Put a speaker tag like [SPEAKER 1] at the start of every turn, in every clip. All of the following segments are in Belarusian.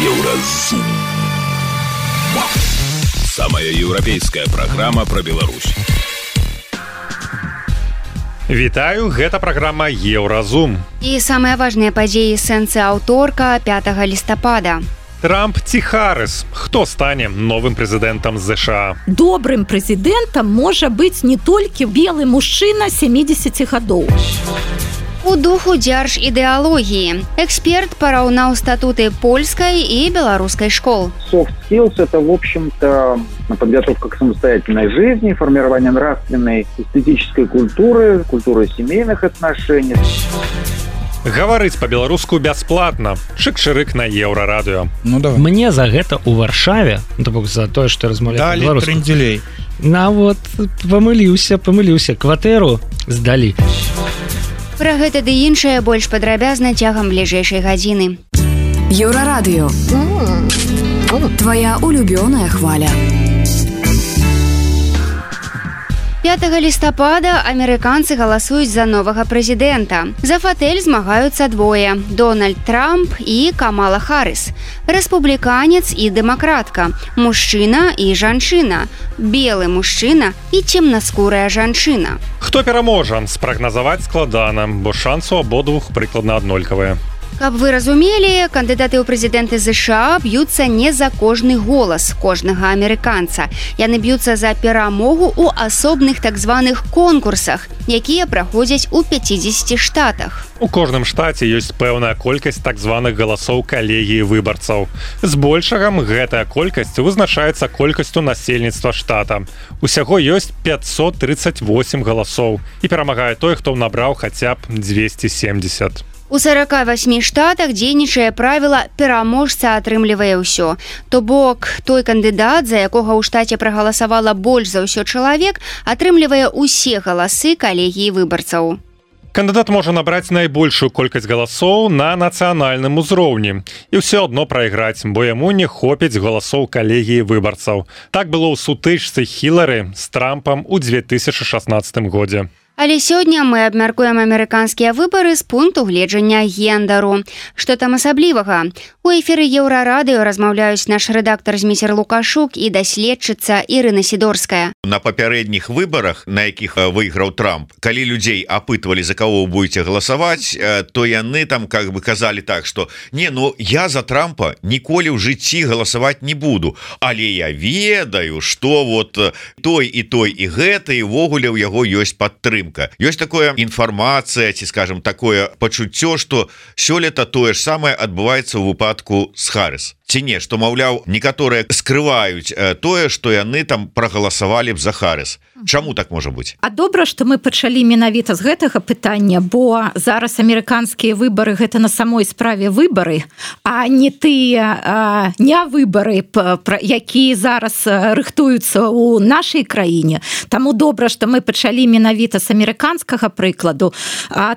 [SPEAKER 1] Еўразум. Самая еўрапейская праграма пра Беларусь.
[SPEAKER 2] Вітаю, гэта праграма Еўразум.
[SPEAKER 3] І самыя важныя падзеі сэнсы аўторка 5 лістапада.
[SPEAKER 2] Трамп ці Харріс? Хто стане новым прэзідэнтам США?
[SPEAKER 4] Добрым прэзідэнтам можа быць не толькі белы мужчына 70 гадоў.
[SPEAKER 3] У духу дзяржідэалогіі эксперт параўнаў статуты польскай і беларускай школ.
[SPEAKER 5] Soft skills – это, в общем-то, подготовка к самостоятельной жизни, формирование нравственной, эстетической культуры, культуры семейных отношений.
[SPEAKER 2] Гаварыць па-беларуску бясплатна. Чык-чырык на Еўрарадыё.
[SPEAKER 6] Ну давай.
[SPEAKER 7] Мне за гэта ў Варшаве, то бок за тое, што размаўляю па-беларуску.
[SPEAKER 6] Далі трындзелей.
[SPEAKER 7] Вот, памыліўся, кватэру здалі.
[SPEAKER 3] Пра гэта ды іншае больш падрабязна цягам бліжэйшай гадзіны.
[SPEAKER 8] Еўрарадыё. Твоя улюбёная хваля.
[SPEAKER 3] 5 лістапада амерыканцы галасуюць за новага прэзідэнта. За фатэль змагаюцца двое – Дональд Трамп і Камала Харріс. Рэспубліканец і дэмакратка, мужчына і жанчына, белы мужчына і цемнаскурая жанчына.
[SPEAKER 2] Хто пераможа? Спрагназаваць складана, бо шансы у абодвух прыкладна аднолькавыя.
[SPEAKER 3] Каб вы разумелі, кандыдаты ў прэзідэнты США б'юцца не за кожны голас кожнага амерыканца. Яны б'юцца за перамогу ў асобных так званых конкурсах, якія праходзяць у 50 штатах.
[SPEAKER 2] У кожным штаце ёсць пэўная колькасць так званых галасоў калегіі выбарцаў. Збольшага гэтая колькасць вызначаецца колькасцю насельніцтва штата. Усяго ёсць 538 галасоў і перамагае той, хто набраў хаця б 270.
[SPEAKER 3] У 48 штатах дзейнічае правіла «пераможца атрымлівае ўсё». То бок, той кандыдат, за якога ў штаце прагаласавала больш за ўсё чалавек, атрымлівае ўсе галасы калегіі выбарцаў.
[SPEAKER 2] Кандыдат можа набраць найбольшую колькасць галасоў на нацыянальным узроўні і ўсё адно прайграць, бо яму не хопіць галасоў калегіі выбарцаў. Так было ў сутычцы Хілары з Трампам у 2016 годзе.
[SPEAKER 3] Але сёння мы абмяркуем амерыканскія выбары з пункту гледжання гендару. Што там асаблівага? У эфіры Еўрарадыё размаўляюць наш рэдактар Зміцер Лукашук і даследчыца Ірына Сідорская.
[SPEAKER 9] На папярэдніх выбарах, на якіх выйграў Трамп, калі людзей апытвалі, за каго вы будете галасаваць, то яны там как бы казалі так, што я за Трампа ніколі ў жыцці галасаваць не буду, але я ведаю, што вот той і гэта, і ўвогуле ў яго ёсць падтрымка. Ёсць такое інфармацыя, ці скажем такое пачуццё, што сёлета тое ж самае адбываецца ў выпадку з Харріс. Ці не, што, маўляў, некаторыя скрываюць тое, што яны там прагаласавалі б за Харріс. Чаму так можа быць?
[SPEAKER 4] А добра, што мы пачалі менавіта з гэтага пытання, бо зараз амерыканскія выбары гэта на самой справе выбары, а не тыя не выбары, якія зараз рыхтуюцца ў нашай краіне. Таму добра, што мы пачалі менавіта з амерыканскага прыкладу.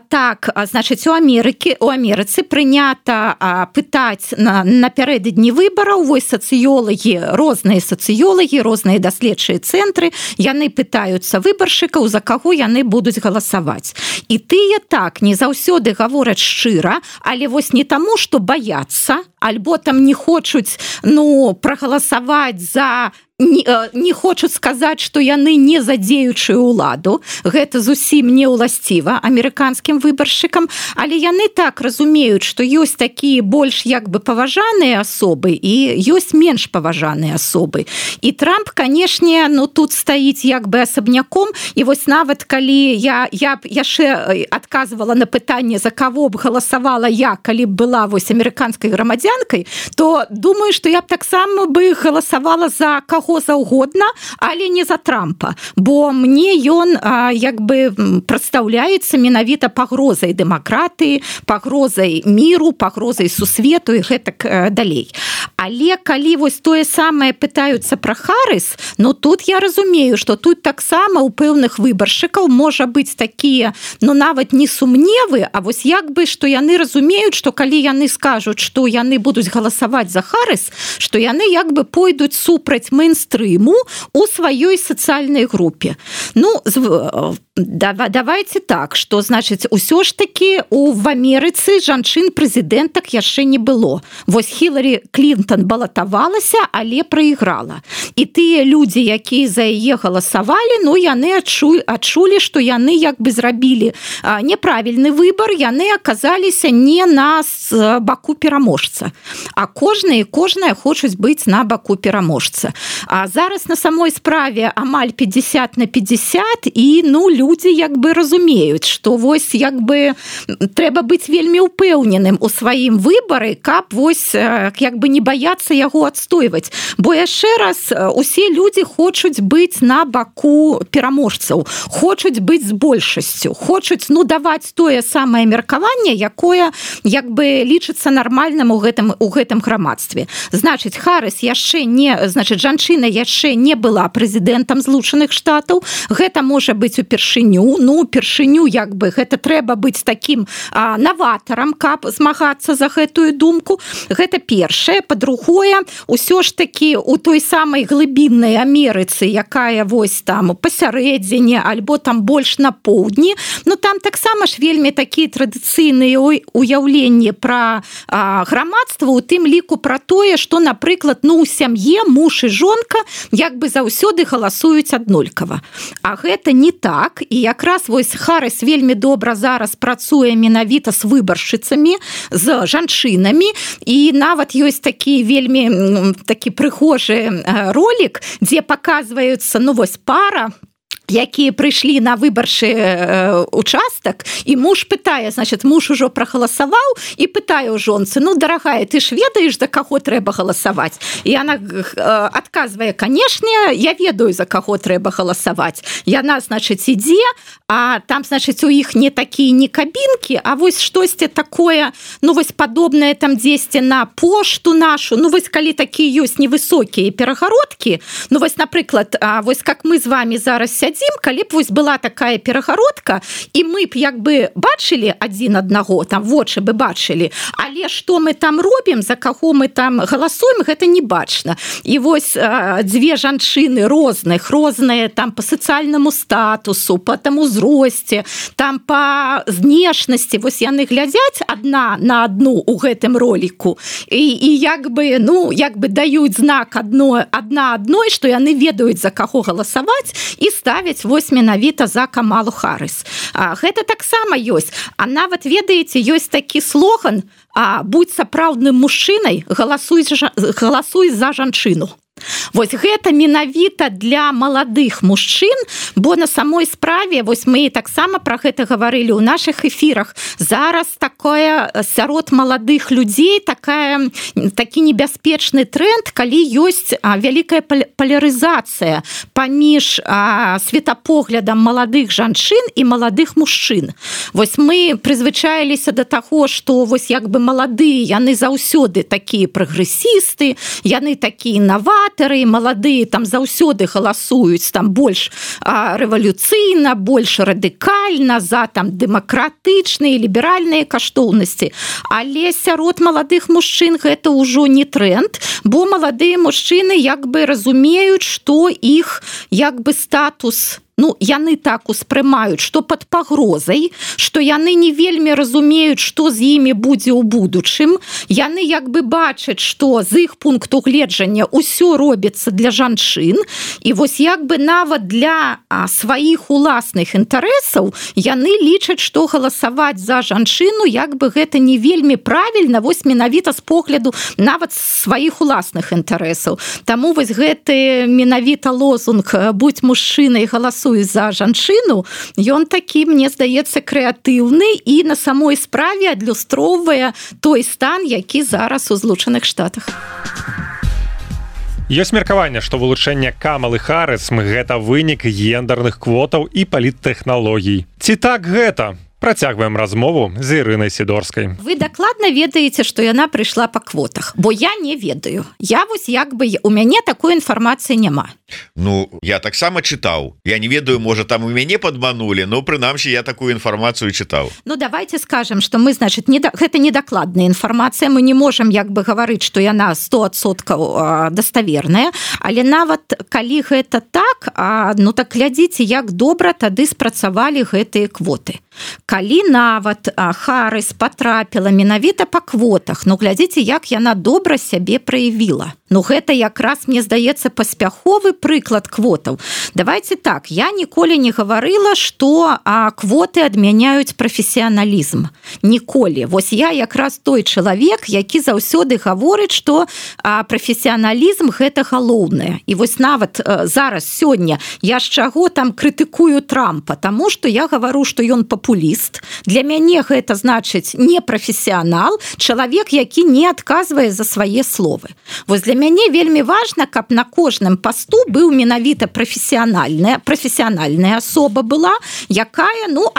[SPEAKER 4] Так, значыць, у Амерыцы прынята пытаць напярэдадні выбараў, вось розныя сацыёлагі, розныя даследчыя цэнтры, яны пытаюцца выбаршчыкаў, за каго яны будуць галасаваць. І тыя так не заўсёды гавораць шчыра, але вось не таму, што баяцца, альбо там не хочуць прагаласаваць за не хочуць сказаць, што яны не за дзеючую ўладу. Гэта зусім не ўласціва амерыканскім выбаршчыкам, але яны так разумеюць, што ёсць такія больш як бы паважаныя асобы і ёсць менш паважаныя асобы. І Трамп, канешне, тут стаіць як бы асабняком, і вось нават калі я б яшчэ адказвала на пытанне, за каго б галасавала я, калі б была вось амерыканскай грамадзянкай, то думаю, што я б таксама бы галасавала за каго заўгодна, але не за Трампа, бо мне ён як бы прадстаўляецца менавіта пагрозай дэмакратыі, пагрозай міру, пагрозай сусвету і гэтак далей. Але калі вось тое самае пытаюцца пра Харріс, тут я разумею, што тут таксама у пэўных выбаршчыкаў можа быць такія, нават не сумневы, а вось як бы, што яны разумеюць, што калі яны скажуць, што яны будуць галасаваць за Харріс, што яны як бы пойдуць супраць мейнстрыму у сваёй сацыяльнай групе. Ну, давайте так, што, значыць, усё ж такі в Амерыцы жанчын-прэзідэнтак яшчэ не было. Вось Хіларі Клінтон балатавалася, але прайграла. І тыя людзі, якія за яе галасавалі, ну, яны адчулі, што яны як бы зрабілі неправільны выбар, яны аказаліся не на баку пераможца. А кожная хочуць быць на баку пераможца. А зараз на самой справе амаль 50/50, і, ну, людзі як бы разумеюць, што вось як бы трэба быць вельмі ўпэўненым у сваім выбары, каб вось як бы не баяцца яго адстойваць. Бо яшчэ раз, усе людзі хочуць быць на баку пераможцаў, хочуць быць з большасцю, хочуць, ну, даваць тое самае меркаванне, якое як бы лічыцца нармальным у гэтым грамадстве. Значыць, Харрыс яшчэ не, значыць, жанчына яшчэ не была прэзідэнтам Злучаных Штатаў. Гэта можа быць упершыню, ну, упершыню як бы гэта трэба быць такім наватарам, каб змагацца за гэтую думку. Гэта першае. Па-другое, усё ж такі у той самай глыбіннай Амерыцы, якая вось там пасярэдзіне альбо там больш на поўдні, ну, там таксама ж вельмі такія традыцыйныя уяўленні пра грамадства, у тым ліку пра тое, што, напрыклад, ну, у сям'е муж і жонка як бы заўсёды галасуюць аднолькава. А гэта не так, і якраз вось Харрыс вельмі добра зараз працуе менавіта з выбаршчыцамі, з жанчынамі, і нават ёсць такі вельмі такі прыгожы ролік, дзе паказваюцца, ну, вось пара, якія прыйшлі на выбарчы участак, і муж пытае, значит, муж ужо прагаласаваў і пытае ў жонцы: ну, дарагая, ты ж ведаеш, за каго трэба галасаваць? І яна адказвае: канешне, я ведаю, за каго трэба галасаваць. Яна, значыць, ідзе, а там, значыць, у іх не такія не кабінкі, а вось штосьці такое, ну, вось падобнае там дзесьці на пошту нашу, ну, вось калі такія ёсць невысокія перагародкі, ну, вось, напрыклад, вось как мы з вами зараз сядзім, калі б вось была такая перагародка, і мы б як бы бачылі адзін аднаго, там вочы бы бачылі, але што мы там робім, за каго мы там галасуем, гэта не бачна. І вось дзве жанчыны розныя там па сацыяльнаму статусу, па там узросце, там па знешнасці, вось яны глядзяць адна на адну ў гэтым роліку, і як бы, ну, як бы даюць знак адна адной, што яны ведаюць, за каго галасаваць, і ставяць вось менавіта за Камалу Харрыс. Гэта таксама ёсць. А нават, ведаеце, ёсць такі слоган: будь сапраўдным мужчынай, галасуй за жанчыну. Вось гэта менавіта для маладых мужчын, бо на самой справе, вось мы таксама пра гэта гаварылі ў нашых эфірах, зараз такое сярод маладых людзей такі небяспечны тренд, калі ёсць вялікая палярызацыя паміж светапоглядам маладых жанчын і маладых мужчын. Вось мы прызвычаіліся да таго, што вось як бы маладыя, яны заўсёды такія прагрэсісты, яны такія інаватары, маладыя там заўсёды галасуюць там больш рэвалюцыйна, больш радыкальна, за там дэмакратычныя, ліберальныя каштоўнасці. Але сярод маладых мужчын гэта ўжо не тренд, бо маладыя мужчыны як бы разумеюць, што іх як бы статус, ну, яны так успрымаюць, што пад пагрозай, што яны не вельмі разумеюць, што з імі будзе ў будучым. Яны як бы бачаць, што з іх пункту гледжання ўсё робіцца для жанчын, і вось як бы нават для сваіх уласных інтарэсаў яны лічаць, што галасаваць за жанчыну як бы гэта не вельмі правільна, вось менавіта з погляду нават сваіх уласных інтарэсаў. Таму вось гэты менавіта лозунг «Будь мужчынай, галасуй за жанчыну», ён такі, мне здаецца, крэатыўны і на самой справе адлюстроўвае той стан, які зараз у Злучаных Штатах.
[SPEAKER 2] Ёсць меркаванне, што вылучэнне Камалы Харрыс гэта вынік гендерных квотаў і паліттэхналогій. Ці так гэта? Працягваем размову з Ірынай Сідорскай.
[SPEAKER 4] Вы дакладна ведаеце, што яна прыйшла па квотах, бо я не ведаю. Я вось як бы у мяне такой інфармацыі няма.
[SPEAKER 9] Ну я таксама чытаў, я не ведаю, можа там у мяне падманули, но прынамсі я такую інфармацыю чытаў.
[SPEAKER 4] Ну давайте скажем, что мы, значит, гэта недакладная інфармацыя, мы не можем як бы гаварыць, что яна 100% даставерная, але нават калі гэта так, ну так глядзіце, як добра тады спрацавалі гэтыя квоты. Калі нават Харрис потрапіла менавіта па квотах, ну глядзіце, як яна добра сябе праявіла. Ну гэта якраз, мне здаецца, паспяховы прыклад квотаў. Давайте так, я ніколі не гаварыла, што квоты адмяняюць прафесіяналізм. Ніколі. Вось я якраз той чалавек, які заўсёды гаворыць, што прафесіяналізм гэта галоўнае. І вось нават зараз сёння я з чаго там крытыкую Трампа, таму што я гавару, што ён папуліст. Для мяне гэта значыць не прафесіянал, чалавек, які не адказвае за свае словы. Вось для мяне вельмі важна, каб на кожным пасту быў менавіта прафесіянальная асоба была, якая, ну,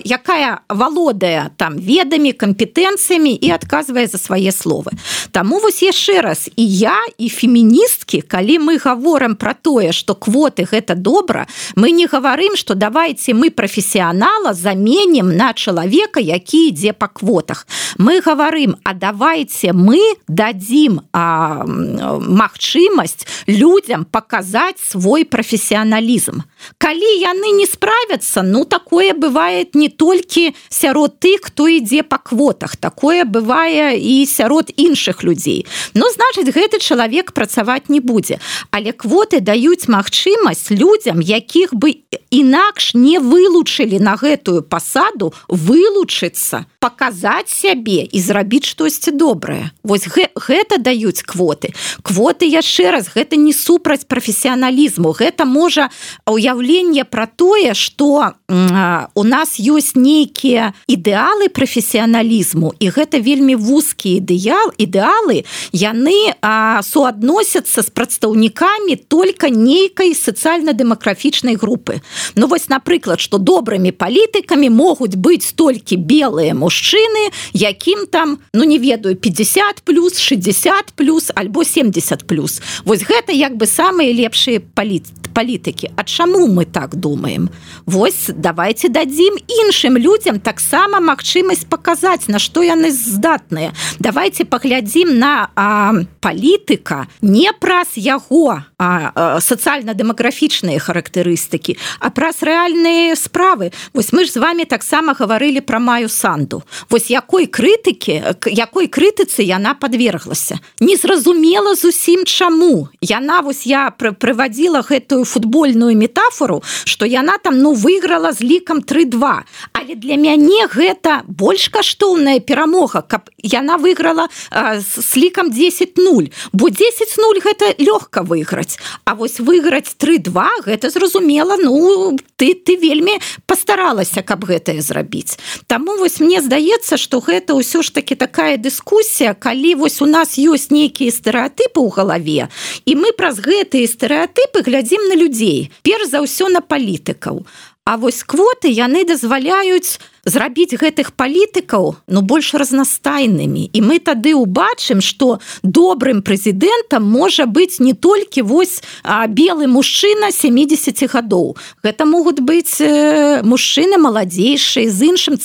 [SPEAKER 4] якая валодае там ведамі, кампетэнцыямі і адказвае за свае словы. Таму вось яшчэ раз, і я, і феміністкі, калі мы гаворым пра тое, што квоты гэта добра, мы не гаварым, што давайте мы прафесіянала заменім на чалавека, які ідзе па квотах. Мы гаварым, а давайте мы дадзім магчымасць людзям паказаць свой прафесіяналізм. Калі яны не справяцца, ну такое бывае не толькі сярод тых, хто ідзе па квотах, такое бывае і сярод іншых людзей. Ну, значыць, гэты чалавек працаваць не будзе. Але квоты даюць магчымасць людзям, якіх бы інакш не вылучылі на гэтую пасаду, вылучыцца, паказаць сябе і зрабіць штосьці добрае. Вось гэта даюць квоты. Квоты, яшчэ раз, гэта не супраць прафесіяналізму, гэта можа уяўленне пра тое, што у нас ёсць нейкія ідэалы прафесіяналізму, і гэта вельмі вузкія ідэалы, яны суадносяцца з прадстаўнікамі толькі нейкай сацыяльна-дэмаграфічнай групы. Ну вось, напрыклад, што добрымі палітыкамі могуць быць толькі белыя мужчыны, якім там, ну не ведаю, 50+, 60+, альбо 70+. Вось гэта як бы самыя лепшыя палітыкі. А чаму мы так думаем? Вось давайте дадзім іншым людзям таксама магчымасць паказаць, на што яны здатныя. Давайте паглядзім на палітыка не праз яго сацыяльна-дэмаграфічныя характарыстыкі, а праз рэальныя справы. Вось мы ж з вами таксама гаварылі пра Маю Санду. Вось якой крытыцы яна подверглася. Незразумела зусім чаму. Яна, вось я прывадзіла гэтую футбольную метафору, што яна там, ну, выйграла з лікам 3-2. Але для мяне гэта больш каштоўная перамога, каб яна выйграла з лікам 10-0. Бо 10-0 гэта лёгка выйграць. А вось выйграць 3-2, гэта зразумела, ну, ты вельмі пастаралася, каб гэтае зрабіць. Таму вось мне здаецца, што гэта ўсё ж таки такая дыскусія, калі вось у нас ёсць нейкія стэрэатыпы ў галаве, і мы праз гэтыя стэрэатыпы глядзім на людзей, перш за ўсё на палітыкаў. А вось квоты яны дазваляюць зрабіць гэтых палітыкаў, ну, больш разнастайнымі. І мы тады ўбачым, што добрым прэзідэнтам можа быць не толькі вось белы мужчына 70 гадоў. Гэта могуць быць мужчыны маладзейшыя, з іншым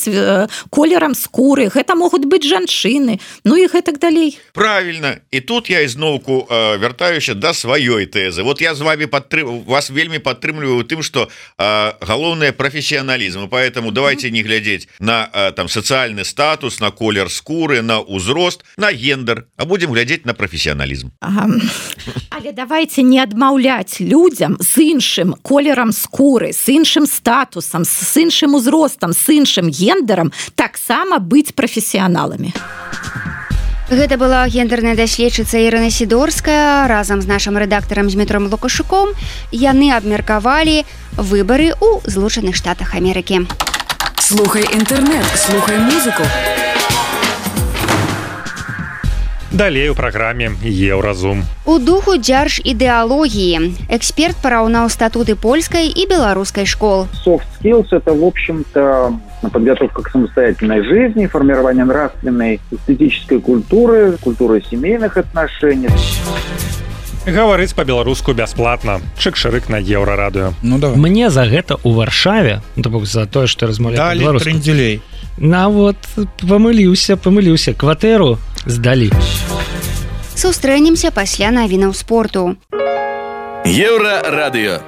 [SPEAKER 4] колерам скуры, гэта могуць быць жанчыны, ну і гэтак далей.
[SPEAKER 9] Правильно. І тут я ізноўку вяртаюся да сваёй тэзы. Вот я з вами вас вельмі падтрымліваю тым, што галоўнае прафесіяналізм, поэтому давайте не глядзець на там сацыяльны статус, на колер скуры, на ўзрост, на гендер, а будем глядзець на прафесіяналізм.
[SPEAKER 4] Але давайте не адмаўляць людзям з іншым колерам скуры, з іншым статусам, з іншым узростам, з іншым гендерам таксама быць прафесіяналамі.
[SPEAKER 3] Гэта была гендерная даследчыца Ірына Сідорская разам з нашым рэдактарам Дмітром Лукашуком. Яны абмеркавалі выбары ў Злучаных Штатах Амерыкі.
[SPEAKER 8] Слухай інтэрнэт, слухай музыку.
[SPEAKER 2] Далей у праграме Еўразум.
[SPEAKER 3] У духу дзяржідэалогіі эксперт параўнаў статуты польскай і беларускай школ.
[SPEAKER 5] Soft skills – это, в общем-то, подготовка к самостоятельной жизни, формирование нравственной, эстетической культуры, культуры семейных отношений.
[SPEAKER 2] Гаварыць па-беларуску бясплатна. Чык-шырык на Еўрарадыё.
[SPEAKER 6] Ну давай.
[SPEAKER 7] Мне за гэта ў Варшаве, то бок за тое, што размаўляю
[SPEAKER 6] па-беларуску. Далі трындзелей.
[SPEAKER 7] Вот памыліўся, кватэру здалі.
[SPEAKER 3] Сустрэнемся пасля навінаў спорту.
[SPEAKER 1] Еўрарадыё.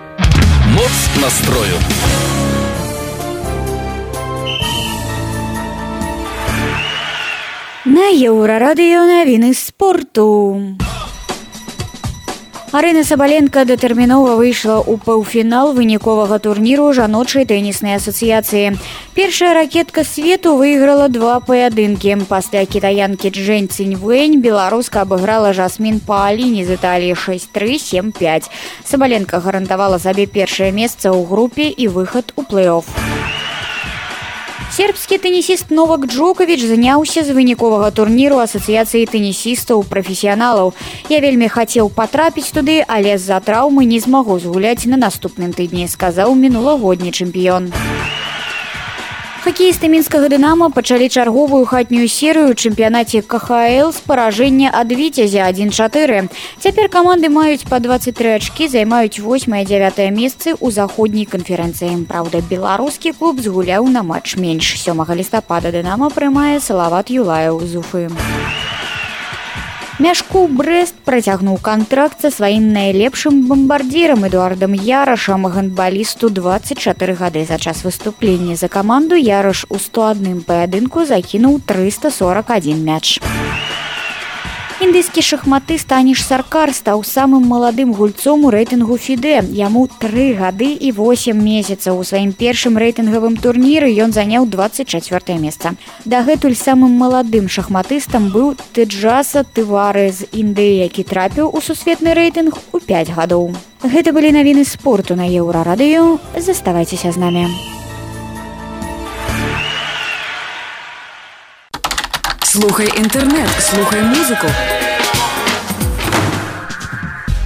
[SPEAKER 1] Моц настрою.
[SPEAKER 10] На Еўрарадыё навіны спорту. Арына Сабаленка датэрмінова выйшла ў паўфінал выніковага турніру жаночай тэніснай асацыяцыі. Першая ракетка свету выйграла 2 паядынкі. Пасля кітаянкі Чжэнь Циньвэнь беларуска абыграла Жасмін Пааліні з Італіі 6-3, 7-5. Сабаленка гарантавала сабе першае месца ў групе і выхад у плэй-офф. Сербскі тэнісіст Новак Джоковіч заняўся з выніковага турніру асацыяцыі тэнісістаў-прафесіяналаў. Я вельмі хацеў патрапіць туды, але з-за траўмы не змагу згуляць на наступным тыдні, сказаў мінулагодні чэмпіён. Хакеісты мінскага «Дынама» пачалі чарговую хатнюю серыю ў чэмпіянаце КХЛ з паражэння ад «Віцязя» 1-4. Цяпер каманды маюць па 23 ачкі, займаюць 8-9 месцы ў заходняй канферэнцыі. Праўда, беларускі клуб згуляў на матч менш. 7 лістапада «Дынама» прымае Салават Юлаеў з Уфы. Мяшкоў Брэст працягнуў кантракт са сваім найлепшым бамбардзірам Эдуардам Ярашам, гандбалісту 24 гады. За час выступлення за каманду Яраш у 101 паядынку закінуў 341 мяч. Індыйскі шахматыст Аніш Саркар стаў самым маладым гульцом у рэйтынгу FIDE. Яму 3 гады і 8 месяцаў. У сваім першым рэйтынгавым турніры ён заняў 24 месца. Дагэтуль самым маладым шахматыстам быў Тэджаса Тывары з Індыі, які трапіў у сусветны рэйтынг у 5 гадоў. Гэта былі навіны спорту на Еўрарадыё. Заставайцеся з намі.
[SPEAKER 8] Слухай інтэрнэт, слухай музыку.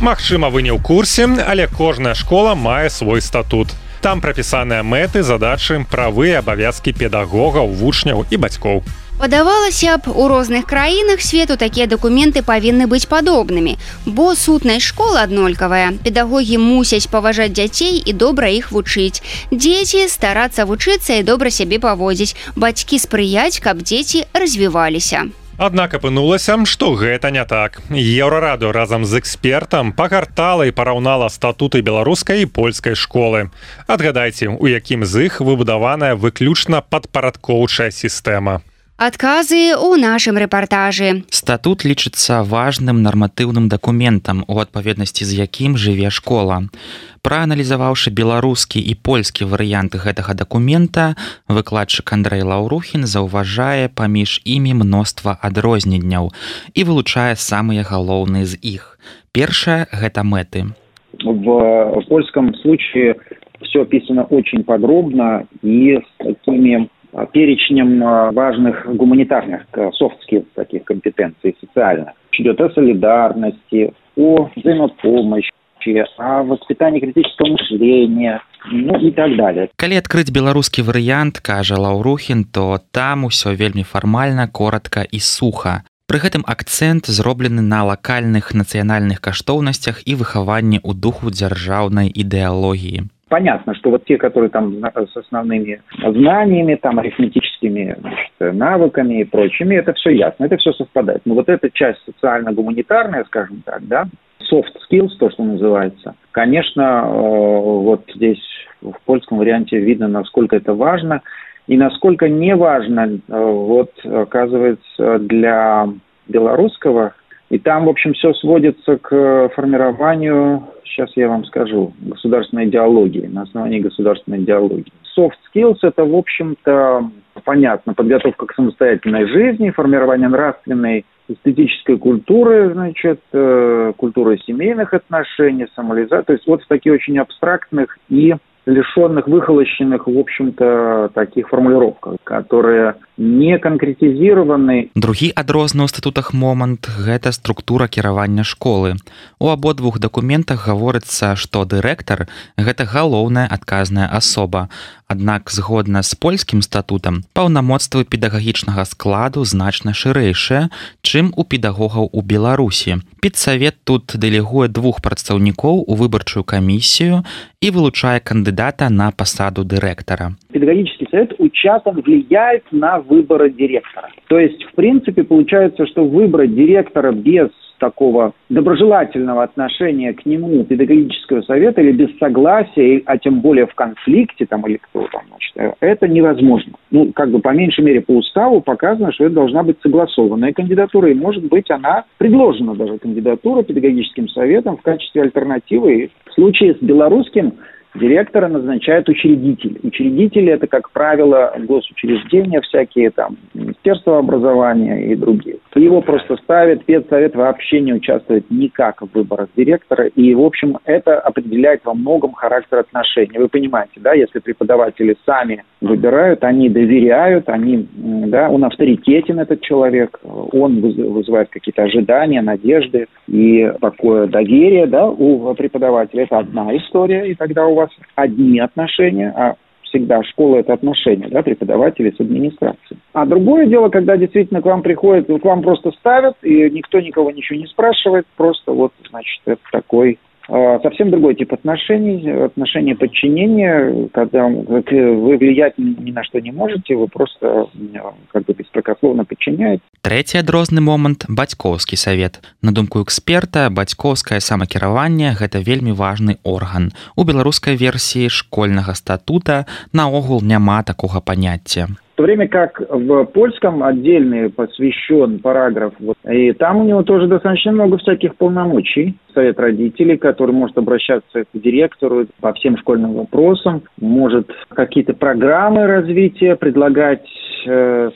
[SPEAKER 2] Магчыма, вы не ў курсе, але кожная школа мае свой статут. Там прапісаныя мэты, задачы, правы і абавязкі педагогаў, вучняў і бацькоў.
[SPEAKER 3] Падавалася б, у розных краінах свету такія дакументы павінны быць падобнымі, бо сутнасць школ аднолькавая. Педагогі мусяць паважаць дзяцей і добра іх вучыць. Дзеці старацца вучыцца і добра сябе паводзіць. Бацькі спрыяць, каб дзеці развіваліся.
[SPEAKER 2] Аднак апынулася, што гэта не так. Еўрарадыё разам з экспертам пагартала і параўнала статуты беларускай і польскай школы. Адгадайце, у якім з іх выбудаваная выключна падпарадкоўчая сістэма.
[SPEAKER 3] Адказы ў нашым рэпартажы.
[SPEAKER 11] Статут лічыцца важным нарматыўным дакументам, у адпаведнасці з якім жыве школа. Прааналізаваўшы беларускі і польскі варыянты гэтага дакумента, выкладчык Андрэй Лаўрухін заўважае паміж імі мноства адрозненняў і вылучае самыя галоўныя з іх. Першае – гэта мэты.
[SPEAKER 5] В польском случае все описано очень подробно и с такими перечнем важных гуманитарных софт-скиллс, таких компетенций социальных. Идет о солидарности, о взаимопомощи, о воспитании критического мышления, ну и так далее.
[SPEAKER 11] Калі адкрыць беларускі варыянт, кажа Лаўрухін, то там усё вельмі фармальна, коротка і суха. Пры гэтым акцэнт зроблены на лакальных нацыянальных каштоўнасцях і выхаванні ў духу дзяржаўнай ідэалогіі.
[SPEAKER 5] Понятно, что вот те, которые там с основными знаниями, там арифметическими, значит, навыками и прочими, это все ясно, это все совпадает. Но вот эта часть социально-гуманитарная, скажем так, да, soft skills, то, что называется, конечно, вот здесь в польском варианте видно, насколько это важно и насколько не важно, вот, оказывается, для белорусского. И там, в общем, все сводится к формированию, сейчас я вам скажу, государственной идеологии, на основании государственной идеологии. Soft skills – это, в общем-то, понятно, подготовка к самостоятельной жизни, формирование нравственной, эстетической культуры, значит, культуры семейных отношений, самолизации. То есть вот в таких очень абстрактных и лишенных, выхолощенных, в общем-то, таких формулировках, которые не конкретизированы.
[SPEAKER 11] Другі адрозны ў статутах момант – гэта структура кіравання школы. У абодвух дакументах гаворыцца, што дырэктар – гэта галоўная адказная асоба. Аднак, згодна з польскім статутам, паўнамоцтвы педагагічнага складу значна шырэйшыя, чым у педагогаў у Беларусі. Педсавет тут дэлегуе 2 прадстаўнікоў у выбарчую камісію и вылучая кандидата на посаду директора.
[SPEAKER 5] Педагогический совет участно влияет на выборы директора. То есть, в принципе, получается, что выбрать директора без такого доброжелательного отношения к нему педагогического совета или без согласия, а тем более в конфликте там или кто там, значит, это невозможно. Ну, как бы по меньшей мере по уставу показано, что это должна быть согласованная кандидатура, и может быть она предложена даже кандидатура педагогическим советом в качестве альтернативы. И в случае с белорусским директора назначают учредитель. Учредители – это, как правило, госучреждения всякие, там, Министерство образования и другие. Его просто ставят, педсовет вообще не участвует никак в выборах директора. И, в общем, это определяет во многом характер отношений. Вы понимаете, да, если преподаватели сами выбирают, они доверяют, они, да, он авторитетен, этот человек, он вызывает какие-то ожидания, надежды и такое доверие, да, у преподавателя. Это одна история, и тогда у вас одни отношения, а всегда школа – это отношения, да, преподавателей с администрацией. А другое дело, когда действительно к вам приходят, к вам просто ставят, и никто никого ничего не спрашивает, просто вот, значит, это такой совсем другой тип отношений, отношения подчинения, когда вы влиять ни на что не можете, вы просто как бы беспрекословно подчиняете.
[SPEAKER 11] Трэці адрозны момант – бацькоўскі савет. На думку эксперта, бацькоўскае самакіраванне – гэта вельмі важны орган. У беларускай версіі школьнага статута наогул няма такога паняцця.
[SPEAKER 5] В то время как в польском отдельный посвящен параграф, вот, и там у него тоже достаточно много всяких полномочий. Совет родителей, который может обращаться к директору по всем школьным вопросам, может какие-то программы развития предлагать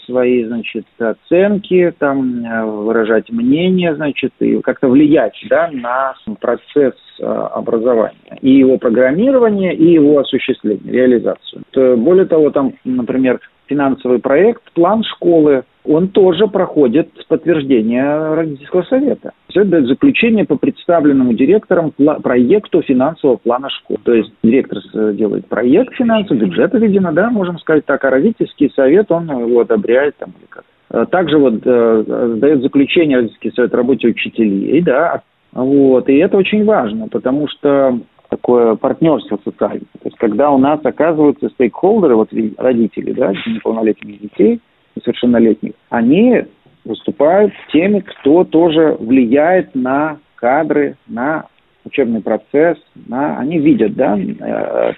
[SPEAKER 5] свои, значит, оценки, там, выражать мнение, значит, и как-то влиять, да, на процесс образования, и его программирование, и его осуществление, реализацию. Более того, там, например, финансовый проект, план школы, он тоже проходит подтверждение родительского совета. Все это заключение по представленному директорам проекту финансового плана школы. То есть директор делает проект финансовый, бюджет, видимо, да, можем сказать так, а родительский совет, он его одобряет там или как. Также вот дает заключение родительский совет о работе учителей, да, вот, и это очень важно, потому что такое партнерство социальное. То есть, когда у нас оказываются стейкхолдеры, вот родители, да, неполнолетних детей, несовершеннолетних, они выступают теми, кто тоже влияет на кадры, на учебный процесс, они видят, да,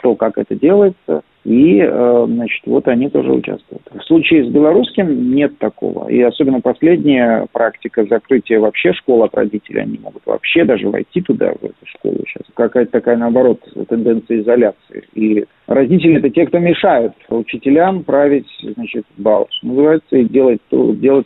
[SPEAKER 5] то, как это делается, и, значит, вот они тоже участвуют. В случае с белорусским нет такого. И особенно последняя практика закрытия вообще школ от родителей, они могут вообще даже войти туда, в эту школу сейчас. Какая-то такая, наоборот, тенденция изоляции. И родители – это те, кто мешают учителям править, значит, бал, что называется, и делать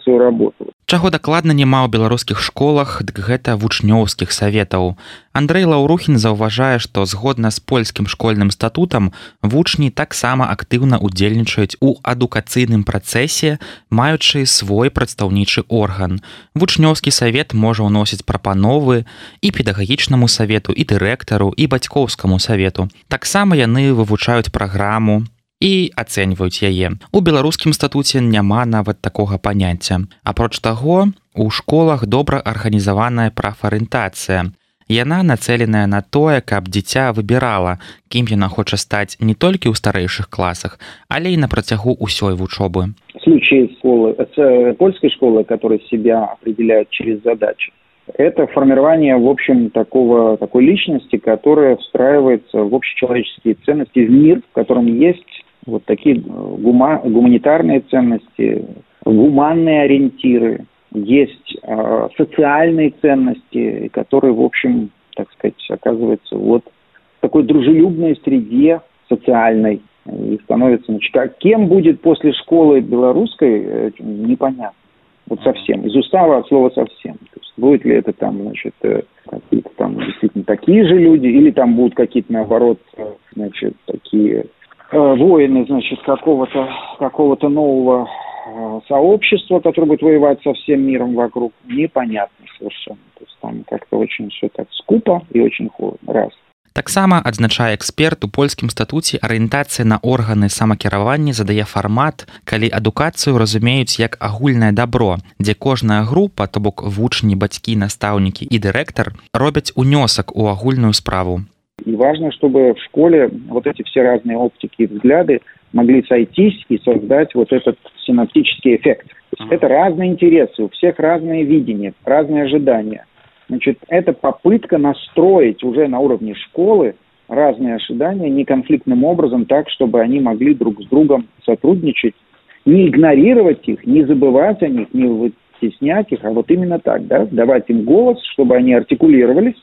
[SPEAKER 5] свою работу.
[SPEAKER 11] Чаго дакладна няма ў беларускіх школах, дык гэта вучнёўскіх саветаў. Андрэй Лаўрухін заўважае, што згодна з польскім школьным статутам вучні таксама актыўна ўдзельнічаюць у адукацыйным працэсе, маючы свой прадстаўнічы орган. Вучнёўскі савет можа ўносіць прапановы і педагагічнаму савету, і дырэктару, і бацькоўскаму савету. Таксама яны вывучаюць праграму і ацэньваюць яе. У беларускім статуце няма нават такога паняцця. Апроч таго, у школах добра арганізаваная прафарыентацыя. Яна нацэленая на тое, каб дзіця выбірала, кім яна хоча стаць не толькі ў старэйшых класах, але і на працягу ўсёй вучобы.
[SPEAKER 5] В случае польской школы, которая себя определяет через задачи, это формирование, в общем, такой личности, которая встраивается в общечеловеческие ценности, в мир, в котором есть вот такие гуманитарные ценности, гуманные ориентиры, есть социальные ценности, которые, в общем, так сказать, оказываются вот в такой дружелюбной среде социальной и становится, значит, кем будет после школы белорусской, непонятно. Вот совсем. Из устава от слова совсем. То есть будет ли это там, значит, какие-то там действительно такие же люди, или там будут какие-то, наоборот, значит, такие воины, значит, какого-то нового сообщества, которое будет воевать со всем миром вокруг, непонятно совершенно. То есть там как-то очень все так скупо и очень холодно. Раз.
[SPEAKER 11] Таксама адзначае эксперт у польскім статуце арыентацыя на органы самакіравання задае фармат, калі адукацыю разумеюць як агульнае дабро, дзе кожная група, то бок вучні, бацькі, настаўнікі і дырэктар робяць унёсак у агульную справу.
[SPEAKER 5] И важно, чтобы в школе вот эти все разные оптики и взгляды могли сойтись и создать вот этот синаптический эффект. Это разные интересы, у всех разные видения, разные ожидания. Значит, это попытка настроить уже на уровне школы разные ожидания неконфликтным образом так, чтобы они могли друг с другом сотрудничать, не игнорировать их, не забывать о них, не вытеснять их, а вот именно так, да, давать им голос, чтобы они артикулировались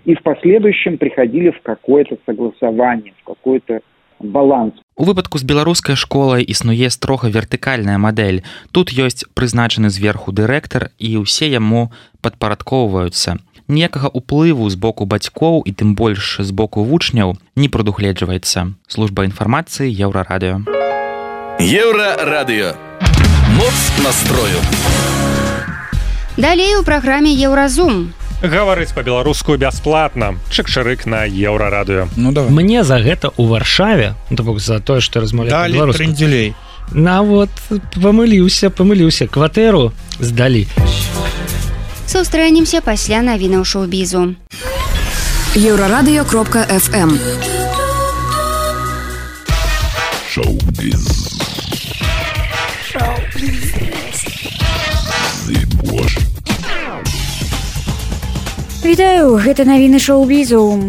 [SPEAKER 5] и в последующем приходили в какое-то согласование, в какой-то баланс.
[SPEAKER 11] У выпадку з беларускай школай існуе строга вертыкальная мадэль. Тут ёсць прызначаны зверху дырэктар і ўсе яму падпарадкоўваюцца. Ніякага ўплыву з боку бацькоў і тым больш з боку вучняў не прадугледжваецца. Служба інфармацыі Еўрарадыё.
[SPEAKER 1] Еўрарадыё. Моц настрою.
[SPEAKER 3] Далей у праграме Еўразум.
[SPEAKER 2] Гаварыць па-беларуску бясплатна. Чык-чырык на Еўрарадыё.
[SPEAKER 7] Ну давай. Мне за гэта ў Варшаве, то бок за тое, што размаўляю па-беларуску. Далі трындзюлей. Вот памыліўся. Кватэру здалі.
[SPEAKER 3] Сустрэнемся пасля навінаў шоу-бізу.
[SPEAKER 8] Еўрарадыё.фм.
[SPEAKER 1] Шоу-біз.
[SPEAKER 10] Вітаю, гэта навіны шоу-бізу.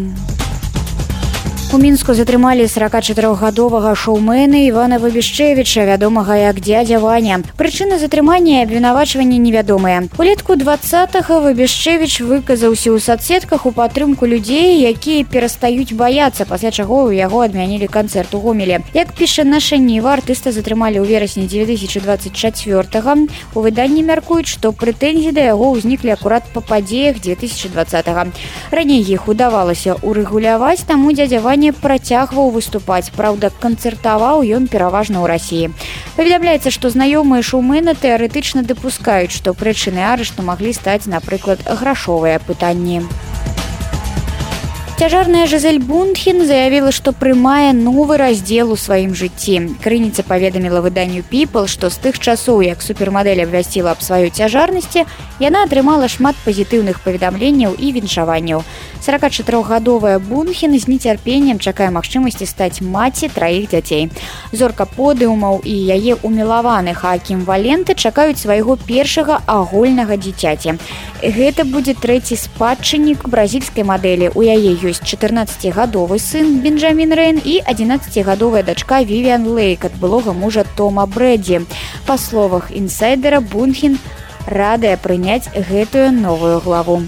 [SPEAKER 10] У Мінску затрымалі 44-гадовага шоумена Івана Выбішчэвіча, вядомага як дзядзя Ваня. Прычына затрымання і абвінавачвання невядомыя. Улетку 20-го Выбішчэвіч выказаўся ў садсетках у падтрымку людзей, якія перастаюць баяцца, пасля чаго ў яго адмянілі канцэрт у Гомеле. Як піша наша Ніва, артыста затрымалі ў верасні 2024-го. У выданні мяркуюць, што прэтэнзіі да яго ўзніклі акурат па падзеях 2020-го. Раней іх удавалася урэгуляваць, таму дзядзя Ваня працягваў выступаць. Праўда, канцэртаваў ён пераважна ў Расіі. Паведамляецца, што знаёмыя шоумена тэарэтычна дапускаюць, што прычынай арышту маглі стаць, напрыклад, грашовыя пытанні. Цяжарная Жизель Бунтхен заявіла, што прымае новы раздзел у сваім жыцці. Крыніца паведаміла выданню People, што з тых часоў, як супермадэль абвясціла аб сваёй цяжарнасці, яна атрымала шмат пазітыўных паведамленняў і віншаванняў. 44-гадовая Бунтхен з нецярпеннем чакае магчымасці стаць маці 3 дзяцей. Зорка подыумаў і яе умілаваны Хаакім Валенты чакаюць свайго першага агульнага дзіцяці. Гэта будзе 3-й спадчыннік бразільскай мадэлі. У яе ёсць 14-гадовы сын Бенджамін Рэйн і 11-гадовая дачка Вівіан Лейк ад былога мужа Тома Брэдзі. Па словах інсайдера, Бунтхен радая прыняць гэтую новую главу.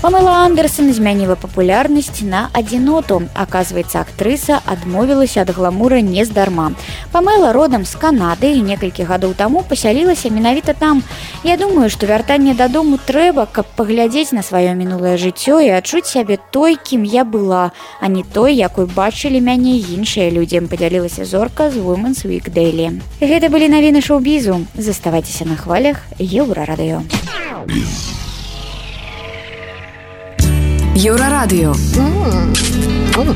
[SPEAKER 10] Памела Андерсон змяніла папулярнасць на адзіноту. Аказваецца, актрыса адмовілася ад гламура нездарма. Памела родам з Канады і некалькі гадоў таму пасялілася менавіта там. Я думаю, што вяртанне дадому трэба, каб паглядзець на сваё мінулае жыццё і адчуць сябе той, кім я была, а не той, якой бачылі мяне іншыя людзі, падзялілася зорка з Women's Week Daily. Гэта былі навіны шоу-бізу. Заставайцеся на хвалях Еўрарадыё.
[SPEAKER 8] Еўрарадыё.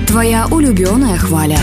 [SPEAKER 8] Твоя улюбёная хваля.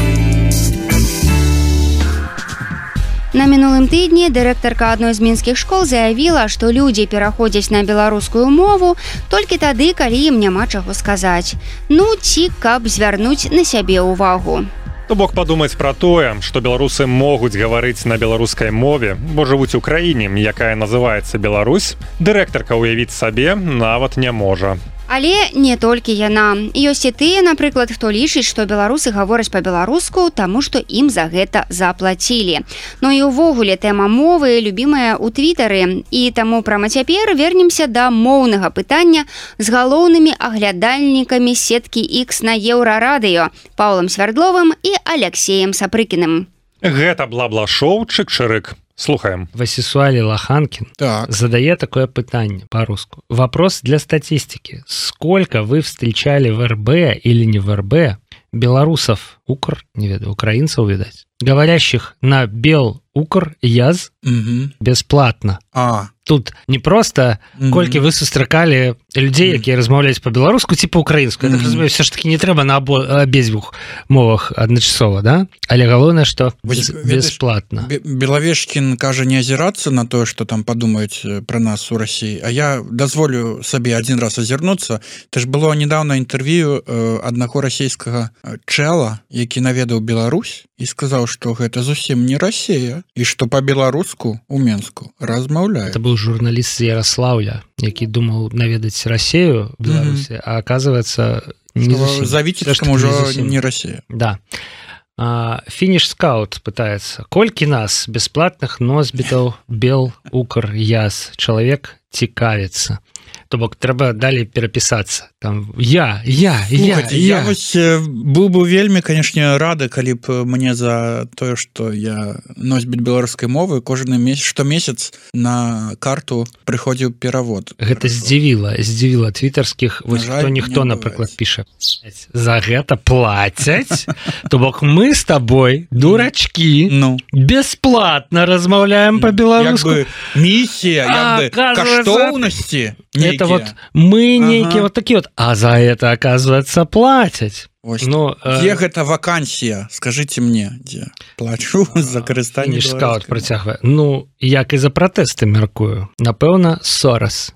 [SPEAKER 3] На мінулым тыдні дырэктарка адной з мінскіх школ заявіла, што людзі пераходзяць на беларускую мову толькі тады, калі ім няма чаго сказаць. Ну, ці каб звярнуць на сябе ўвагу.
[SPEAKER 2] То бок падумаць пра тое, што беларусы могуць гаварыць на беларускай мове, бо жывуць у краіне, якая называецца Беларусь, дырэктарка ўявіць сабе нават не можа.
[SPEAKER 3] Але не толькі яна. Ёсць і тыя, напрыклад, хто лічыць, што беларусы гавораць па-беларуску, таму што ім за гэта заплацілі. Ну і ўвогуле тэма мовы любімая ў твітары. І таму прама цяпер вернемся да моўнага пытання з галоўнымі аглядальнікамі сеткі X на Еўрарадыё Паўлам Свярдловым і Аляксеем Сапрыкіным.
[SPEAKER 2] Гэта бла-бла-шоу «Чык-чырык». Слухаем.
[SPEAKER 7] Васисуали Лоханкин задает такое питание по-русски. Вопрос для статистики. Сколько вы встречали в РБ или не в РБ белорусов, не ведаю, украинцев, видать, говорящих на бел-укр-яз бесплатно. Тут не просто колькі вы сустракалі людзей, якія размаўляюць по-беларуску ці по-украінску. Я так разумею, все ж таки не трэба на абедзвюх мовах адначасова, да? Але галоўнае, што бесплатна.
[SPEAKER 6] Белавешкін кажа не азірацца на тое, што там падумаюць пра нас у Расіі, а я дазволю сабе адзін раз азірнуцца. Это ж было недавно інтэрв'ю аднаго расійскага чэла, які наведаў Беларусь і сказаў, што гэта зусім не Расія і што па-беларуску у Менску размаўляюць.
[SPEAKER 7] Это был журналист з Ярослаўля, які думаў наведаць Расію в Беларусі, а оказывается не зусім.
[SPEAKER 6] За Віцебском уже не Расія.
[SPEAKER 7] Да. Фініш скаут пытается. Колькі нас бесплатных носьбітаў бел-укр-яз чалавек цікавіцца? То бок трэба далей перапісацца там я
[SPEAKER 6] вось быў бы вельмі, канешне, рады, калі б мне за тое, што я носьбіт беларускай мовы кожны штомесяц на карту прыходзіў перавод.
[SPEAKER 7] Гэта здзівіла твітарскіх, вось ніхто напрыклад піша за гэта плацяць, то бок мы з табой дурачкі бесплатна размаўляем по-беларуску.
[SPEAKER 6] Місія каштоўнасці.
[SPEAKER 7] Это вот мы некие вот такие вот, а за это, оказывается, платять.
[SPEAKER 6] Где гэта вакансія? Скажите мне, где? Плачу за карыстанне
[SPEAKER 7] беларускай. Працягвае. Як і за пратэсты, мяркую. Напэўна, Сорос.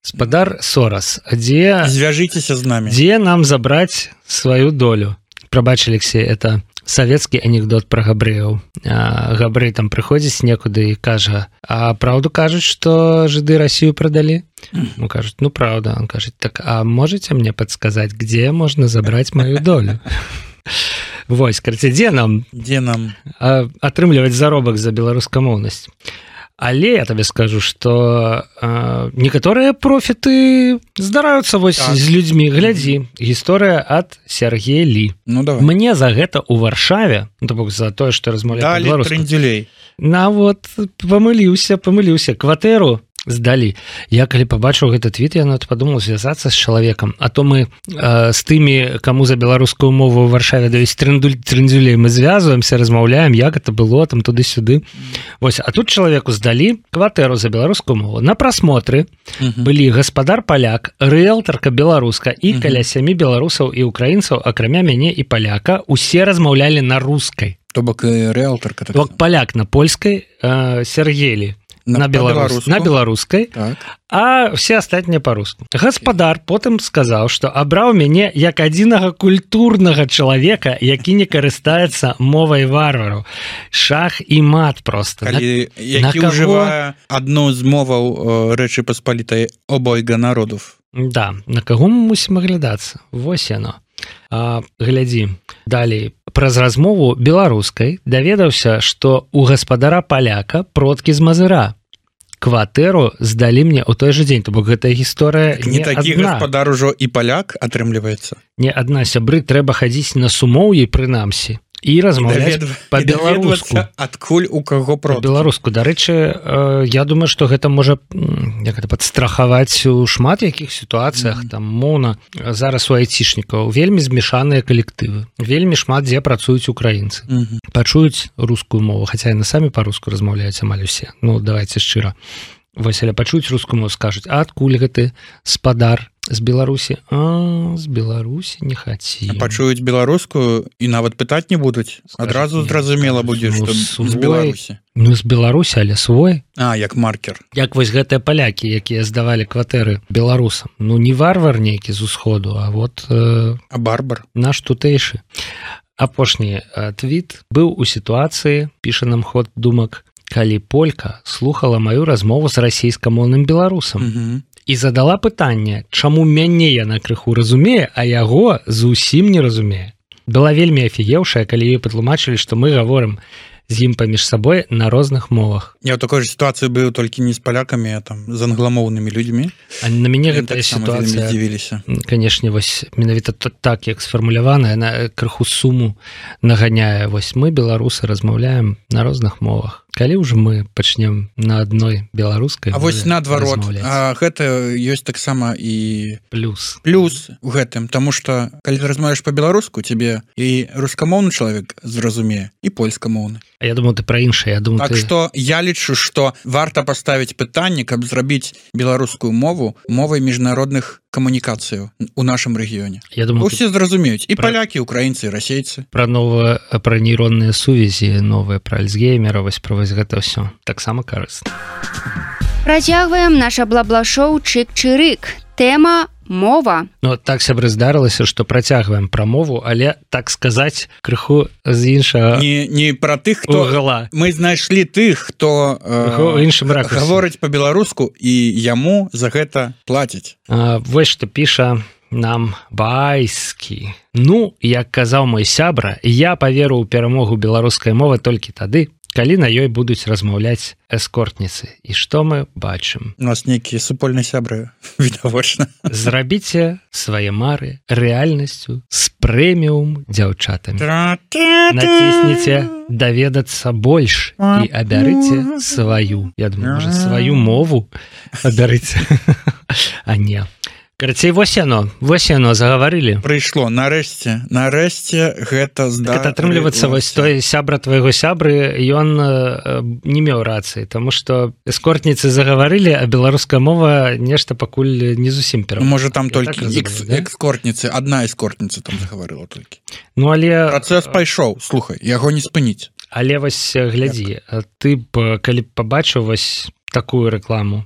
[SPEAKER 7] Спадар Сорос.
[SPEAKER 6] Звяжитеся з намі.
[SPEAKER 7] Дзе нам забраць сваю долю? Прабач, Алексей, это савецкі анекдот пра габрэяў. Габрэй там прыходзіць некуды і кажа, а праўду кажуць, што жыды Расію прадалі? Кажуць, правда. Он кажет, так, а можете мне подсказать, где можно забрать мою долю? Вось, карці, дзе нам атрымліваць заробак за беларускамоўнасць? Але я табе скажу, што некаторыя профіты здараюцца вось з людзьмі. Глядзі, гісторыя ад Сергея Лі. Мне за гэта ў Варшаве, за тое, што размаўляю
[SPEAKER 6] па-беларуску. Далі трындзюлей.
[SPEAKER 7] Памыліўся, кватэру здалі. Я калі пабачыў гэты твіт, я падумаў звязацца з чалавекам, а то мы з тымі, каму за беларускую мову ў Варшаве даюць трындзюлей, мы звязваемся, размаўляем, як это было там туды-сюды. Вось, а тут чалавеку здалі кватэру за беларускую мову. На прасмотры былі гаспадар паляк, рыэлтарка беларуска і каля 7 беларусаў і украінцаў, акрамя мяне і паляка, усе размаўлялі на рускай.
[SPEAKER 6] То бок рыэлтарка.
[SPEAKER 7] То бок паляк на польскай, Сергелі на беларускай, а все астатнія па-руску. Гаспадар потым сказаў, што абраў мяне як адзінага культурнага чалавека, які не карыстаецца мовай варвараў. Шах і мат проста.
[SPEAKER 6] Які ўжывае адну з моваў Рэчы Паспалітай обойга народов.
[SPEAKER 7] Да, на каго мы мусім аглядацца? Вось яно. Глядзі, далей. Праз размову беларускай даведаўся, што у гаспадара паляка продкі з Мазыра. Кватэру здалі мне ў той жа дзень, то бок гэтая гісторыя не адна.
[SPEAKER 6] Не такі гаспадар ужо і паляк атрымліваецца.
[SPEAKER 7] Не адна, сябры, трэба хадзіць на сумоўі прынамсі і размаўляць па-беларуску.
[SPEAKER 6] Адкуль у каго продкі?
[SPEAKER 7] Па-беларуску. Дарэчы, я думаю, што гэта можа падстрахаваць у шмат якіх сітуацыях, там моўна зараз у айцішнікаў вельмі змешаныя калектывы. Вельмі шмат дзе працуюць украінцы. Пачуюць рускую мову, хаця яны самі па-руску размаўляюць амаль усе. Давайце шчыра. Вось, але пачуюць рускую мову, скажуць, а адкуль гэты спадар з Беларусі? З Беларусі не хацеў.
[SPEAKER 6] Пачуюць беларускую і нават пытаць не будуць. Адразу зразумела будзе, што з Беларусі.
[SPEAKER 7] З Беларусі, але свой.
[SPEAKER 6] Як маркер.
[SPEAKER 7] Як вось гэтыя палякі, якія здавалі кватэры беларусам. Не варвар нейкі з усходу, а вот...
[SPEAKER 6] А барбар.
[SPEAKER 7] Наш тутэйшы. Апошні твіт быў у сітуацыі, піша нам ход думак, калі полька слухала маю размову з расійскамоўным беларусам і задала пытанне, чаму мяне яна крыху разумее, а яго зусім не разумее. Была вельмі афігеўшая, калі ёй патлумачылі, што мы гаворым з ім паміж сабой на розных мовах.
[SPEAKER 6] Я ў такой же сітуацыі быў толькі не з палякамі, а там з англамоўнымі людзьмі.
[SPEAKER 7] А на мяне гэтая сітуацыя, канешне, вось менавіта так, як сфармулявана, яна крыху суму наганяе. Вось мы, беларусы, размаўляем на розных мовах. калі ўжо мы пачнем на адной беларускай
[SPEAKER 6] А вось наадварот гэта ёсць таксама і
[SPEAKER 7] плюс
[SPEAKER 6] у гэтым тому что калі ты размаўляеш по-беларуску тебе і рускамоўны чалавек зразумее і польскамоўны
[SPEAKER 7] я думаю ты пра іншае я думаю
[SPEAKER 6] так что я лічу что варта паставіць пытанне каб зрабіць беларускую мову мовай міжнародных камунікацыяў у нашым рэгіёне
[SPEAKER 7] я думаю
[SPEAKER 6] усе зразумеюць і палякі украінцы расейцы
[SPEAKER 7] пра пра нейронныя сувязі новыя пра альцгеймера вось пра вось гэта ўсё таксама карысна
[SPEAKER 3] Працягваем наша бла-бла-шоу чык-чырык тэма мова
[SPEAKER 7] Ну так сябры здарылася што працягваем пра мову але так сказаць крыху з іншага
[SPEAKER 6] не пра тых хто
[SPEAKER 7] гала
[SPEAKER 6] мы знайшлі тых хто
[SPEAKER 7] іншым ракурсе
[SPEAKER 6] гаворыць по-беларуску і яму за гэта плацяць
[SPEAKER 7] вось што піша нам байскі Ну як казаў мой сябра я паверу ў перамогу беларускай мовы толькі тады калі на ёй будуць размаўляць эскортніцы і што мы бачым
[SPEAKER 6] у нас нейкія супольныя сябры відавочна
[SPEAKER 7] зрабіце свае мары рэальнасцю з прэміум дзяўчатамі націсніце даведацца больш і абярыце сваю я думаю можа сваю мову абярыце а не Карацей, вось яно загаварылі.
[SPEAKER 6] Прыйшло, нарэшце гэта
[SPEAKER 7] здарылася. Атрымліваецца, вось той сябра твайго сябры, ён не меў рацыі, таму што эскортніцы загаварылі, а беларуская мова нешта пакуль не зусім перамогла.
[SPEAKER 6] Можа, там толькі экскортніцы, адна эскортніца там загаварыла толькі.
[SPEAKER 7] Ну, але...
[SPEAKER 6] Працэс пайшоў, слухай, яго не спыніць.
[SPEAKER 7] Але вось глядзі, ты б, калі б пабачыў вось такую рэкламу,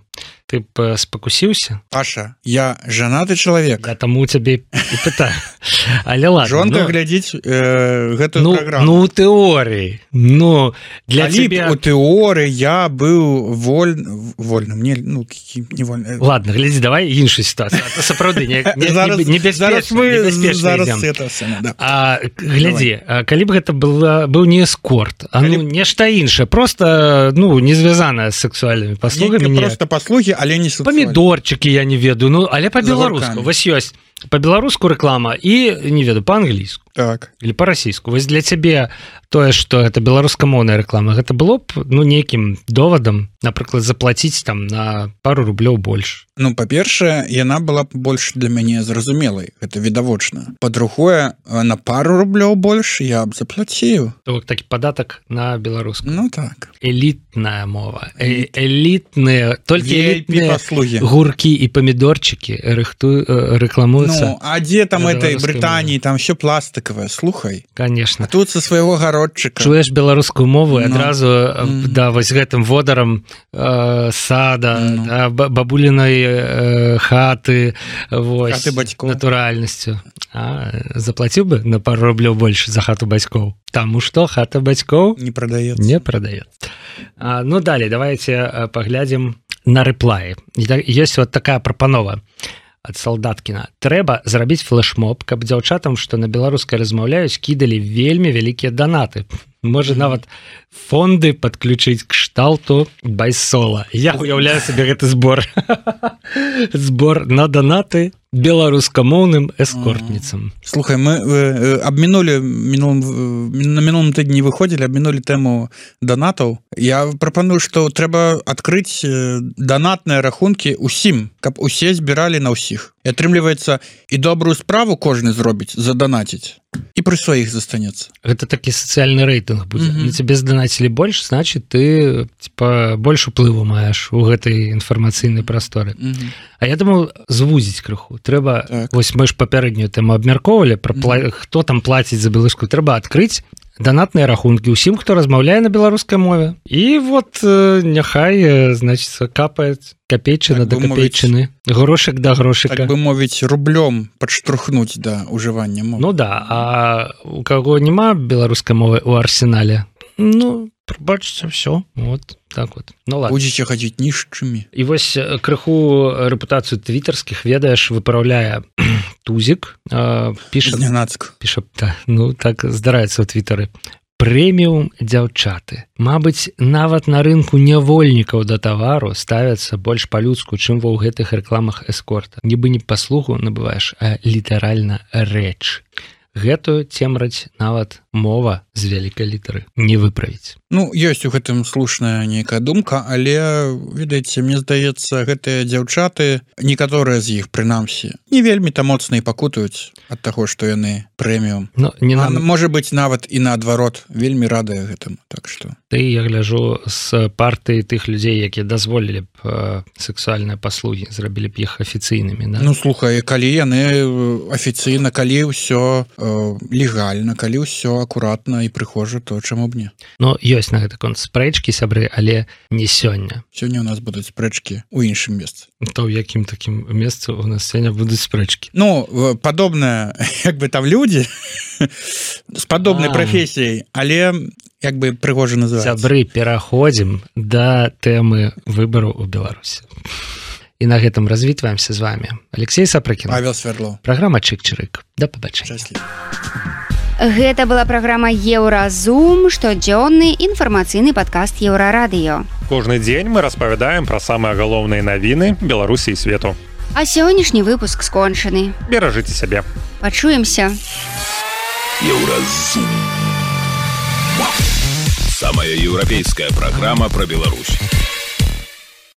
[SPEAKER 7] ты б спакусіўся?
[SPEAKER 6] Паша, я жанаты чалавек.
[SPEAKER 7] Да, таму у цябе і пытаю. Але ладно.
[SPEAKER 6] Жонка глядзіць гэтую праграму.
[SPEAKER 7] Ну, у тэорыі. Ну, для
[SPEAKER 6] цябе... У тэорыі я быў вольным. Не вольным.
[SPEAKER 7] Ладно, глядзі, давай іншую сітуацыю. А то сапраўды небяспечна.
[SPEAKER 6] Зараз это сама, да.
[SPEAKER 7] Глядзі, калі б гэта быў не эскорт, а нешта іншае, просто, не звязанае з сексуальнымі паслугамі.
[SPEAKER 6] Просто паслугі, але не сексуальныя.
[SPEAKER 7] Памідорчыкі, я не ведаю, але па-беларуску. Вось ёсць па-беларуску рэклама і, не ведаю, па-англійску.
[SPEAKER 6] Так.
[SPEAKER 7] Или па-расійску. Вось для цябе тое, што гэта беларускамоўная рэклама, гэта было б, нейкім довадам, напрыклад, заплаціць там на пару рублёў больш.
[SPEAKER 6] Па-першае, яна была б больш для мяне зразумелай. Гэта відавочна. Па-другое, на пару рублёў больш я б заплаціў.
[SPEAKER 7] Такі падатак на беларуску.
[SPEAKER 6] Ну так.
[SPEAKER 7] Элітная мова. Элітныя, толькі элітныя
[SPEAKER 6] паслугі.
[SPEAKER 7] Гуркі і памідорчыкі рэкламуюцца.
[SPEAKER 6] А дзе там этой Брытаніі, там всё пластиковое, слухай.
[SPEAKER 7] Конечно.
[SPEAKER 6] А тут со свайго гародчыка.
[SPEAKER 7] Чуеш беларускую мову і адразу да, вось гэтым водарам сада, бабулінай хаты, вось,
[SPEAKER 6] хаты бацькоў.
[SPEAKER 7] Натуральнасцю. Заплаціў бы на пару рублёў больш за хату бацькоў? Таму што хата бацькоў
[SPEAKER 6] не прадаецца.
[SPEAKER 7] Не прадаецца. Ну, далей, давайте паглядзім на рэплаі. Ёсць вот такая прапанова ад Салдаткіна. Трэба зрабіць флешмоб, каб дзяўчатам, што на беларускай размаўляюць, кідалі вельмі вялікія данаты. Можа, нават фонды падключыць кшталту байсола. Я уяўляю сабе гэты збор. Збор на данаты беларускамоўным эскортніцам.
[SPEAKER 6] Слухай, мы абмінулі на мінулым тыдні выходзілі, абмінулі тэму данатаў. Я прапаную, што трэба адкрыць данатныя рахункі ўсім, каб усе збіралі на ўсіх. І атрымліваецца, і добрую справу кожны зробіць, заданаціць. І пры сваіх застанецца.
[SPEAKER 7] Гэта такі сацыяльны рэйтынг будзе. На цябе здонацілі больш, значит, ты больш уплыву маеш у гэтай інфармацыйнай прасторы. А я думаю, звузіць крыху. Трэба, вось мы ж папярэднюю тэму абмяркоўвалі, хто там плаціць за беларускую. Трэба адкрыць данатныя рахункі ўсім, хто размаўляе на беларускай мове. І вот няхай, значит, капаюць капейчына да капейчыны, грошык да грошыка.
[SPEAKER 6] Так бы мовіць, рублём падштурхнуць да ўжывання мовы.
[SPEAKER 7] Ну да, а у каго няма беларускай мовы ў арсенале, прабачце, все, вот так вот. Ну ладно.
[SPEAKER 6] Будзеце хадзіць нішчымі.
[SPEAKER 7] І вось крыху рэпутацыю твітарскіх, ведаеш, выпраўляе Тузік, піша...
[SPEAKER 6] Знянацк.
[SPEAKER 7] Піша, так здараецца ў твітары. Прэміум дзяўчаты. Мабыць, нават на рынку нявольнікаў да тавару ставяцца больш па-людску, чым ва ў гэтых рэкламах эскорта. Нібы не паслугу набываеш, а літаральна рэч. Гэтую цемраць нават мова з вялікай літары не выправіць.
[SPEAKER 6] Ну ёсць у гэтым слушная нейкая думка, але ведаеце, мне здаецца, гэтыя дзяўчаты, некаторыя з іх прынамсі не вельмі там моцна і пакутаюць ад таго, што яны прэміум. Можа быць нават і наадварот вельмі радыя гэтаму. Так што
[SPEAKER 7] я гляжу з партыі тых людзей, якія дазволілі б сексуальныя паслугі, зрабілі б іх афіцыйнымі.
[SPEAKER 6] Ну слухай, калі яны афіцыйна, калі ўсё легальна, калі ўсё акуратна і прыхожа, то чаму б не?
[SPEAKER 7] Ну ёсць на гэты конт спрэчкі, сябры, але не сёння.
[SPEAKER 6] Сёння у нас будуць спрэчкі ў іншым месцы.
[SPEAKER 7] То ў якім такім месцы у нас сёння будуць спрэчкі?
[SPEAKER 6] Ну падобна, як бы там людзі з падобнай прафесіяй, але як бы прыгожа называецца.
[SPEAKER 7] Сябры, пераходзім да тэмы выбараў у Беларусі. І на гэтым развітваемся з вами. Алексей Сапрыкін.
[SPEAKER 6] Павел Свердлов.
[SPEAKER 7] Праграма Чык-Чырык. Да пабачэння.
[SPEAKER 3] Гэта была праграма Еўразум, штодзённы інфармацыйны падкаст Еўрарадыё.
[SPEAKER 2] Кожны дзень мы распавядаем пра самыя галоўныя навіны Беларусі і свету.
[SPEAKER 3] А сённяшні выпуск скончаны.
[SPEAKER 2] Беражыце сябе.
[SPEAKER 3] Пачуемся.
[SPEAKER 1] Еўразум. Самая еўрапейская праграма пра Беларусь.